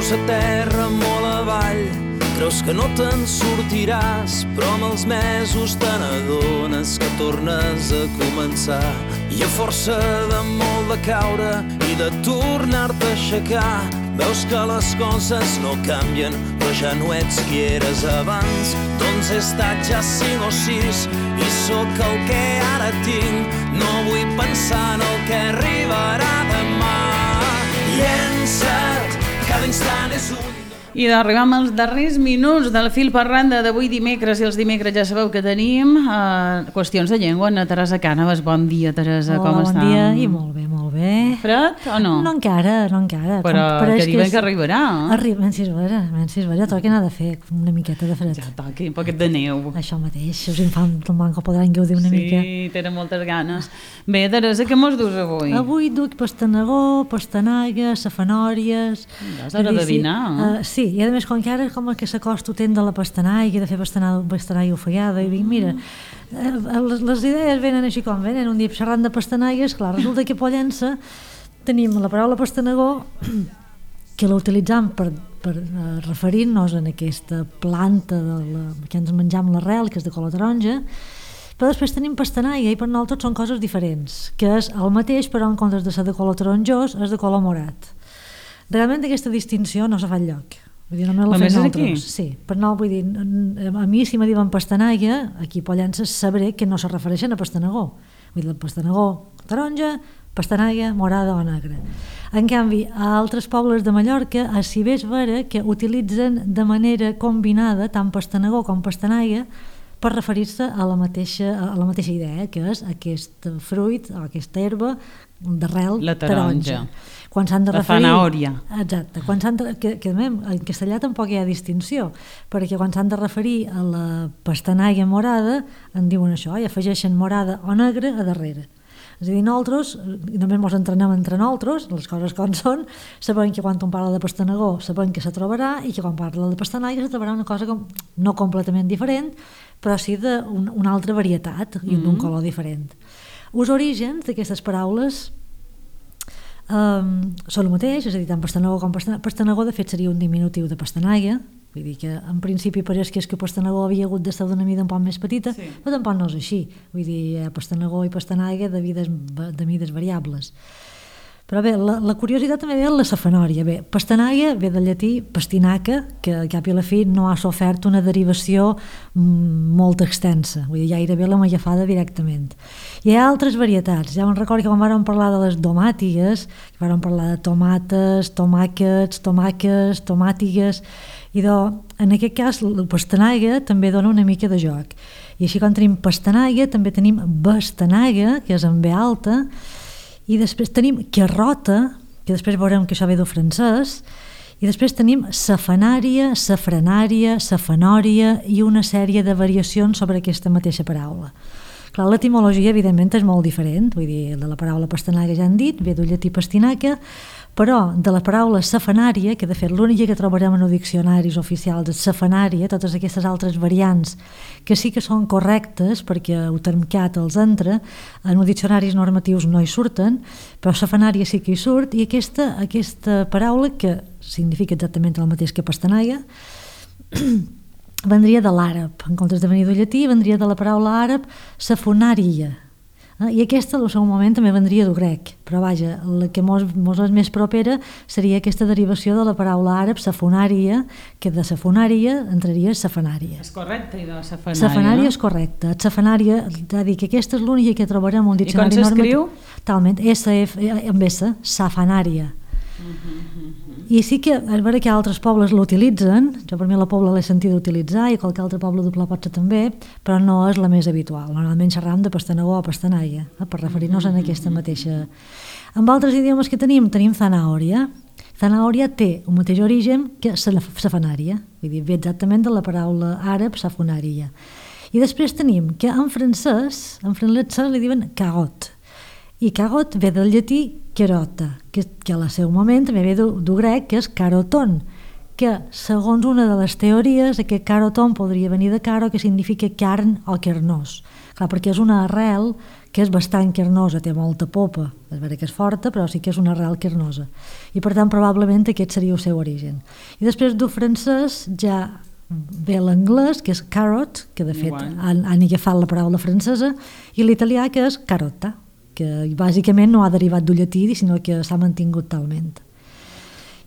Veus a terra molt avall, creus que no te'n sortiràs, però amb els mesos te n'adones que tornes a començar. I a força de molt de caure i de tornar-te a aixecar, veus que les coses no canvien, però ja no ets qui eres abans. Doncs he estat ja 5 o 6 i sóc el que ara tinc. No vull pensar en el que arribarà demà. Llença't, cada instant és un... I arribem als darrers minuts del fil per randa d'avui dimecres, i els dimecres ja sabeu que tenim qüestions de llengua. Ana Teresa Cànovas, bon dia, Teresa, com està? Bon dia, i molt bé, molt bé. Fred o no? No encara. Però que diuen que arribarà. Arriba, si es vera, toca anar de fer una miqueta de fred. Ja toqui, un poquet de neu. Això mateix, els infants del manco podran gaudir una mica. Sí, tenen moltes ganes. Bé, Teresa, què mos dus avui? Avui duc pastanagó, pastanaga, safanòries... És hora de dinar. Sí, i a més, com que ara com que s'acosta temps de la pastanaga, de fer pastanaga ofegada, i dic, mira, les idees venen així com venen, un dia xerrant de pastanagues, clar, resulta que a Pollença tenim la paraula pastanagó, que la utilitzam per referir-nos en aquesta planta que ens menjam l'arrel, que és de color taronja, però després tenim pastanaga, i per nosaltres són coses diferents, que és el mateix, però en comptes de ser de color taronjós, és de color morat. Realment aquesta distinció no s'ha fet lloc. Vull dir, només la fem nosaltres. Sí, per no, vull dir, a mi si me diuen pastanaga, aquí a Pollença sabré que no se refereixen a pastanagó. Vull dir, el pastanagó taronja, pastanaga morada o negra. En canvi, a altres pobles de Mallorca, si bé és vera que utilitzen de manera combinada tant pastanagó com pastanaga per referir-se a la mateixa idea, que és aquest fruit o aquesta herba d'arrel taronja. Quan s'han de referir... La fanàoria. Exacte. Que en castellà tampoc hi ha distinció, perquè quan s'han de referir a la pastanaga morada en diuen això, i afegeixen morada o negra a darrere. És a dir, nosaltres, només ens entrenem entre nosaltres, les coses com són, sabem que quan un parla de pastanagó sabem que se trobarà, i que quan parla de pastanaga se trobarà una cosa no completament diferent, però sí d'una altra varietat i d'un color diferent. Els orígens d'aquestes paraules són el mateix, és a dir, tant pastanagó com pastanagó de fet seria un diminutiu de pastanaga, vull dir que en principi pareix que pastanagó havia hagut d'estar d'una mida un poc més petita, sí. Però tampoc no és així, vull dir, pastanagó i pastanaga de mides variables. Però bé, la curiositat també ve en la safanòria. Bé, pastanaga ve del llatí pastinaca, que al cap i a la fi no ha sofert una derivació molt extensa, vull dir, gairebé la magafada directament. Hi ha altres varietats. Ja me'n recordo que quan vam parlar de les domàtigues, que vam parlar de tomates, tomàquets, tomàques, tomàtigues, i en aquest cas la pastanaga també dona una mica de joc. I així quan tenim pastanaga també tenim bastanaga, que és amb B alta, i després tenim carrota, que després veurem que això ve del francès, i després tenim safanària, safranària, safanòria i una sèrie de variacions sobre aquesta mateixa paraula. Clar, l'etimologia evidentment és molt diferent, vull dir, de la paraula pastanaga ja han dit, ve del llatí pastinaca, però de la paraula safanària, que de fet l'única que trobarem en els diccionaris oficials és safanària, totes aquestes altres variants que sí que són correctes perquè el termcat els entra, en els diccionaris normatius no hi surten, però safanària sí que hi surt, i aquesta paraula, que significa exactament el mateix que pastanaga, vendria de l'àrab, en comptes de venir del llatí, vendria de la paraula àrab safonària. I aquesta, al seu moment, també vendria del grec, però vaja, la que mos és més propera seria aquesta derivació de la paraula àrab safonària, que de safonària entraria safanària. És correcte, i de safanària, safanària, no? És correcte. Safanària, és a dir, que aquesta és l'única que trobarem en un diccionari normatiu. I com s'escriu? Talment, amb S, safanària. I sí que és vera que altres pobles l'utilitzen, jo per mi la Pobla l'he sentit utilitzar i qualque altre poble doble potser també, però no és la més habitual. Normalment xerram de pastanagó o pastanaga, per referir-nos a aquesta mateixa. Amb altres idiomes que tenim zanàoria. Zanàoria té el mateix origen que safanària, vull dir, ve exactament de la paraula àrab safonària. I després tenim que en francès li diuen cagot, i cagot ve del llatí carota, que al seu moment també ve del grec, que és caroton, que segons una de les teories aquest caroton podria venir de caro, que significa carn o carnós. Clar, perquè és una arrel que és bastant carnosa, té molta popa, és vera que és forta, però sí que és una arrel carnosa. I per tant, probablement aquest seria el seu origen. I després del francès ja ve l'anglès, que és carrot, que de fet han agafat la paraula francesa, i l'italià, que és carota, que bàsicament no ha derivat del llatí, sinó que s'ha mantingut talment.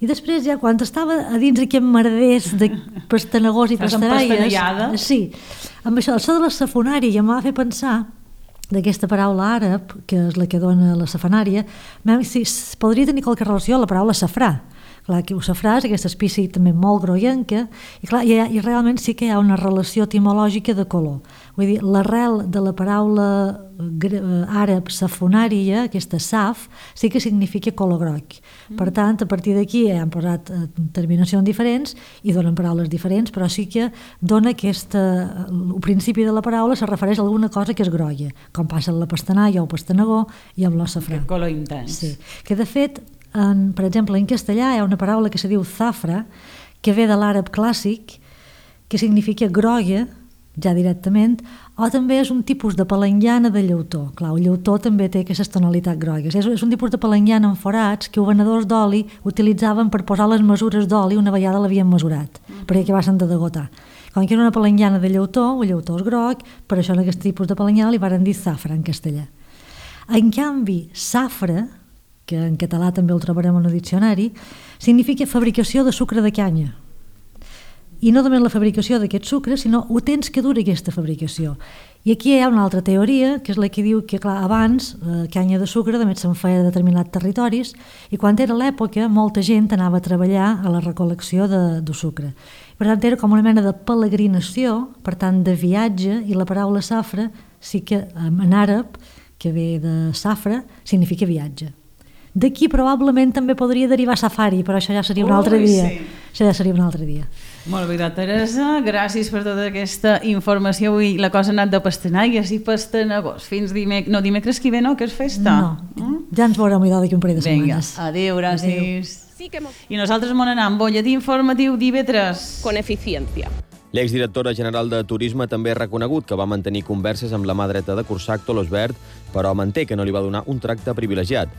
I després ja quan estava a dins aquest merders de pastanagors i pastaralles, sí, amb això de la safonària m'ha de fer pensar d'aquesta paraula àrab, que és la que dona la safanària, si podria tenir qualque relació a la paraula safrà. Clar, que el safrà és aquesta espècie també molt groguenca i, clar, i realment sí que hi ha una relació etimològica de color. Vull dir, l'arrel de la paraula àrab safonària, aquesta saf, sí que significa color groc. Per tant, a partir d'aquí han posat terminacions diferents i donen paraules diferents, però sí que dona el principi de la paraula se refereix a alguna cosa que és grolla, com passa amb la pastanaia o el pastanagó i amb l'os safrà. Aquest color intens. Sí. Que de fet, per exemple, en castellà hi ha una paraula que se diu zafra, que ve de l'àrab clàssic, que significa groga, ja directament, o també és un tipus de palenguiana de llautó. Clar, el llautó també té aquestes tonalitats grogues. És un tipus de palenguiana amb forats que els venedors d'oli utilitzaven per posar les mesures d'oli una vegada l'havien mesurat, perquè acabassen de degotar. Com que era una palenguiana de llautó, el llautó és groc, per això en aquest tipus de palenguiana li varen dir zafra en castellà. En canvi, safra, que en català també el trobarem en el diccionari, significa fabricació de sucre de canya. I no només la fabricació d'aquest sucre, sinó el temps que dura aquesta fabricació. I aquí hi ha una altra teoria, que és la que diu que, clar, abans canya de sucre també se'n feia de determinats territoris i quan era l'època molta gent anava a treballar a la recol·lecció de sucre. Per tant, era com una mena de peregrinació, per tant, de viatge, i la paraula safra sí que en àrab, que ve de safra, significa viatge. D'aquí probablement també podria derivar safari, però això ja seria un altre dia. Sí. Això ja seria un altre dia. Molt bé, Teresa, gràcies per tota aquesta informació. Avui la cosa ha anat de pastanagues i pastanagors. Fins dimecres que ve, no? Que és festa? No, ja ens veurem d'aquí un parell de setmanes. Vinga, adéu, gràcies. I nosaltres m'on anem? Bolletí informatiu d'IV3. Con eficiencia. L'exdirectora general de Turisme també ha reconegut que va mantenir converses amb la mà dreta de Cursac, Tolosvert, però manté que no li va donar un tracte privilegiat.